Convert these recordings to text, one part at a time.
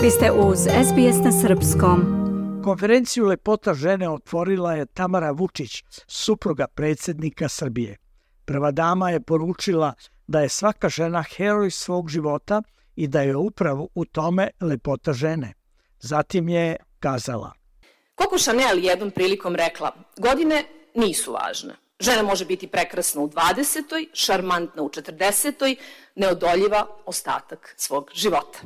Vi ste uz SBS na srpskom. Konferenciju Lepota žene otvorila je Tamara Vučić, supruga predsjednika Srbije. Prva dama je poručila da je svaka žena heroj svog života i da je upravo u tome lepota žene. Zatim je kazala: Coco Chanel jednom prilikom rekla, godine nisu važne. Žena može biti prekrasna u 20. šarmantna u 40. neodoljiva ostatak svog života.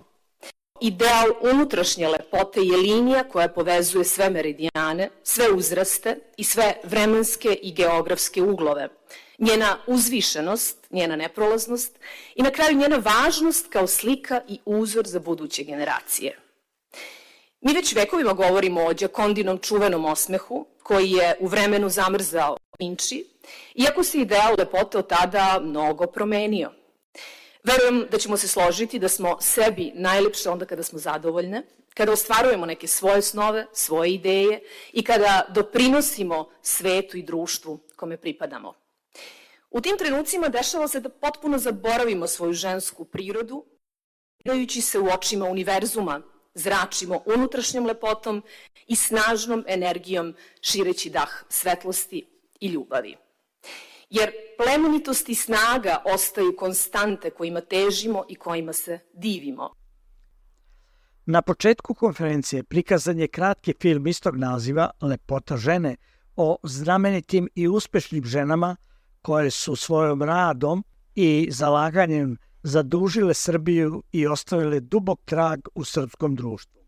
Ideal unutrašnje lepote je linija koja povezuje sve meridijane, sve uzraste i sve vremenske i geografske uglove. Njena uzvišenost, njena neprolaznost i na kraju njena važnost kao slika i uzor za buduće generacije. Mi već vekovima govorimo o Giocondinom čuvenom osmehu koji je u vremenu zamrzao Vinci, iako se ideal lepote od tada mnogo promenio. Verujem da ćemo se složiti da smo sebi najlepše onda kada smo zadovoljne, kada ostvarujemo neke svoje snove, svoje ideje i kada doprinosimo svetu i društvu kome pripadamo. U tim trenucima dešava se da potpuno zaboravimo svoju žensku prirodu, gledajući se u očima univerzuma, zračimo unutrašnjom lepotom i snažnom energijom šireći dah svetlosti i ljubavi. Jer plemenitost i snaga ostaju konstante kojima težimo i kojima se divimo. Na početku konferencije prikazan je kratki film istog naziva Lepota žene o znamenitim i uspešnim ženama koje su svojom radom i zalaganjem zadužile Srbiju i ostavile dubok trag u srpskom društvu.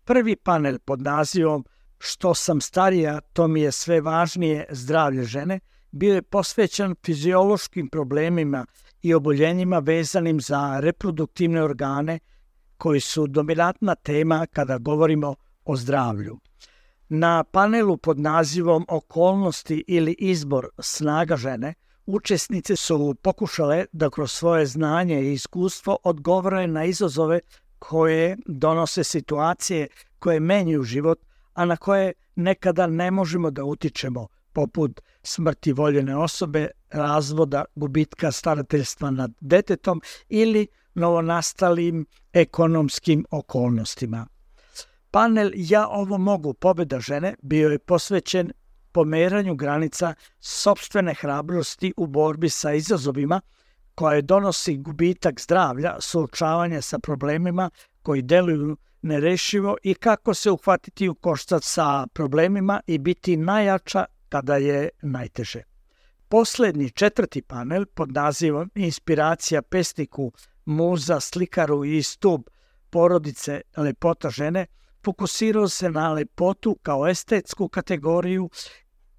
Prvi panel pod nazivom Što sam starija, to mi je sve važnije zdravlje žene bio je posvećen fiziološkim problemima i oboljenjima vezanim za reproduktivne organe koji su dominantna tema kada govorimo o zdravlju. Na panelu pod nazivom Okolnosti ili izbor snaga žene učesnice su pokušale da kroz svoje znanje i iskustvo odgovore na izazove koje donose situacije koje menjaju život, a na koje nekada ne možemo da utičemo, poput smrti voljene osobe, razvoda, gubitka starateljstva nad detetom ili novonastalim ekonomskim okolnostima. Panel Ja ovo mogu, pobjeda žene bio je posvećen pomeranju granica sopstvene hrabrosti u borbi sa izazovima koje donosi gubitak zdravlja, suočavanje sa problemima koji deluju nerešivo i kako se uhvatiti u koštac sa problemima i biti najjača kada je najteže. Poslednji, četvrti panel pod nazivom Inspiracija pesniku, muza, slikaru i stub porodice Lepota žene fokusirao se na lepotu kao estetsku kategoriju,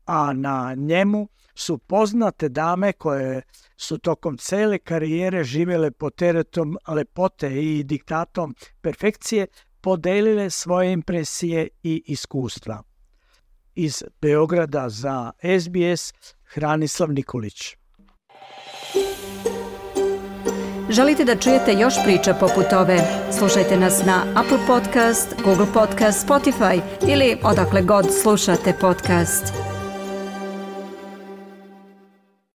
a na njemu su poznate dame koje su tokom cele karijere živjele pod teretom lepote i diktatom perfekcije podelile svoje impresije i iskustva. Iz Beograda za SBS, Hranislav Nikolić. Želite da čujete još priča poput ove? Slušajte nas na Apple Podcast, Google Podcast, Spotify ili odakle god slušate podcast.